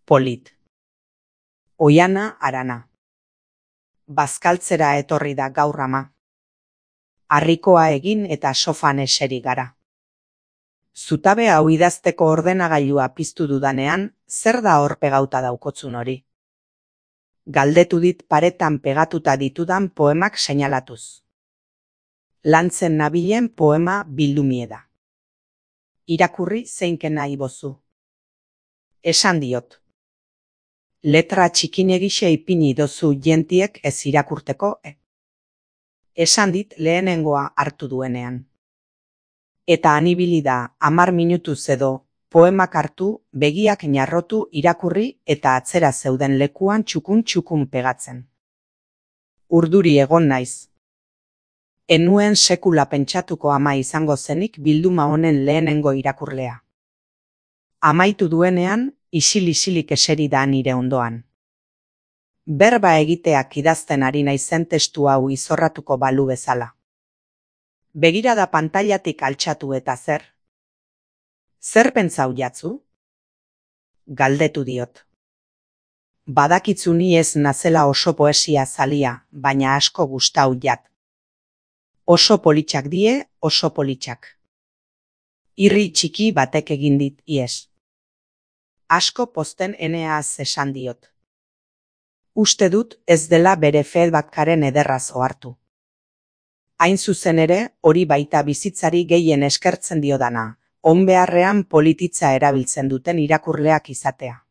Polit. Oiana Arana. Bazkaltzera etorri da gaur ama. Harrikoa egin eta sofan eseri gara. Zutabe hau idazteko ordenagailua piztu dudanean, zer da hor pegauta daukotzun hori? Galdetu dit paretan pegatuta ditudan poemak seinalatuz. Lantzen nabilen poema bildumie da. Irakurri zeinken nahi bozu. Esan diot. Letra txikinegixe ipini dozu jentiek ez irakurteko. Esan dit lehenengoa hartu duenean. Eta anibili da 10 minutuz edo, poemak hartu, begiak narrotu irakurri eta atzera zeuden lekuan txukun pegatzen. Urduri egon naiz. Enuen sekula pentsatuko ama izango zenik bilduma honen lehenengo irakurlea. Amaitu duenean, isil-isilik eseri da nire ondoan. Berba egiteak idazten ari naizen testu hau izorratuko balu bezala. Begirada pantailatik altxatu eta zer? Zer pentsau jatzu? Galdetu diot. Badakitzu ni ez nazela oso poesia zalia, baina asko gustau jat. Oso politxak die, oso politxak. Irri txiki batek egin dit ies. Asko pozten eneaz esan diot. Uste dut ez dela bere feedbackaren ederraz ohartu. Hain zuzen ere, hori baita bizitzari gehien eskertzen diodana, onbeharrean polititza erabiltzen duten irakurleak izatea.